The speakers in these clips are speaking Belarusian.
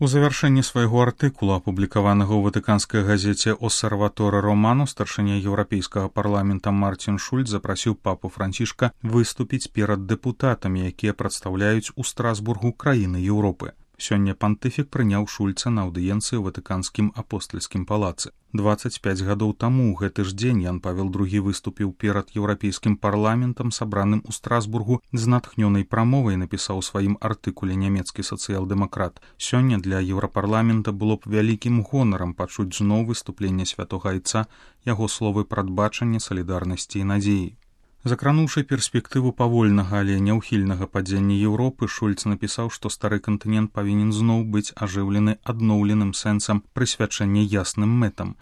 У завяршэнні свайго артыкула, апублікаванага ў ватыканскай газеце «Осерваторе Романо», старшыня Еўрапейскага парламента Мартин Шульц запрасіў папу Францішка выступіць перад дэпутатамі, якія прадстаўляюць у Страсбургу краіны Еўропы. Сёння пантыфік прыняў Шульца на аўдыенцыі ў ватыканскім апостальскім палацы. 25 гадоў таму ў гэты ж дзень Ян Павел II выступіў перад еўрапейскім парламентам, сабраным у Страсбургу, з натхнёнай прамовай напісаў у сваім артыкуле нямецкі сацыял-дэмакрат. Сёння для еўрапарламента было б вялікім гонарам пачуць зноў выступленне святога айца, яго словы прадбачання, салідарнасці і надзеі. Закрануўшы перспектыву павольнага, але няўхільнага падзення Еўропы, Шульц напісаў, што стары кантынент павінен зноў быць ажыўлены адноўленым сэнсам прысвячэння ясным мэтам.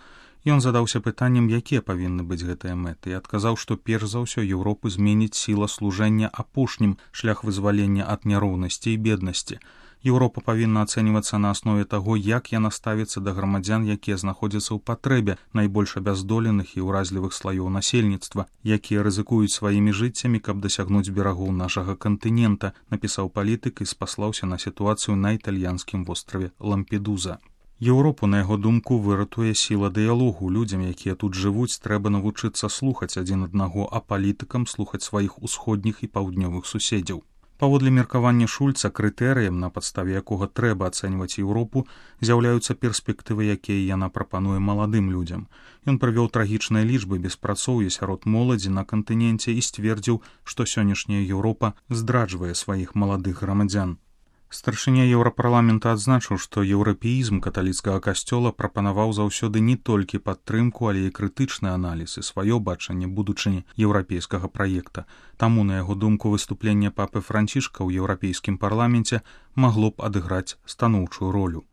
Ён задаўся пытаннем, якія павінны быць гэтыя мэты, і адказаў, што перш за ўсё Еўропу зменіць сіла служэння апошнім, шлях вызвалення ад няроўнасці і беднасці. Еўропа павінна ацэньвацца на аснове таго, як яна ставіцца да грамадзян, якія знаходзяцца ў патрэбе, найбольш абяздоленых і ўразлівых слаёў насельніцтва, якія рызыкуюць сваімі жыццямі, каб дасягнуць берагоў нашага кантынента, напісаў палітык і спаслаўся на сітуацыю на італьянскім востраве Лампедуза. Еўропу, на яго думку, выратуе сіла дыялогу. Людзям, якія тут жывуць, трэба навучыцца слухаць адзін аднаго, а палітыкам слухаць сваіх усходніх і паўднёвых суседзяў. Паводле меркавання Шульца, крытэрыем, на падставе якога трэба ацэньваць Еўропу, з'яўляюцца перспектывы, якія яна прапануе маладым людзям. Ён прывёў трагічныя лічбы беспрацоўя сярод моладзі на кантыненце і сцвердзіў, што сённяшняя Еўропа здраджвае сваіх маладых грамадзян. Старшыня Еўрапарламента адзначыў, што еўрапеізм каталіцкага касцёла прапанаваў заўсёды не толькі падтрымку, але і крытычны аналіз і сваё бачанне будучыні еўрапейскага праекта. Таму, на яго думку, выступленне папы Францішка ў еўрапейскім парламенце магло б адыграць станоўчую ролю.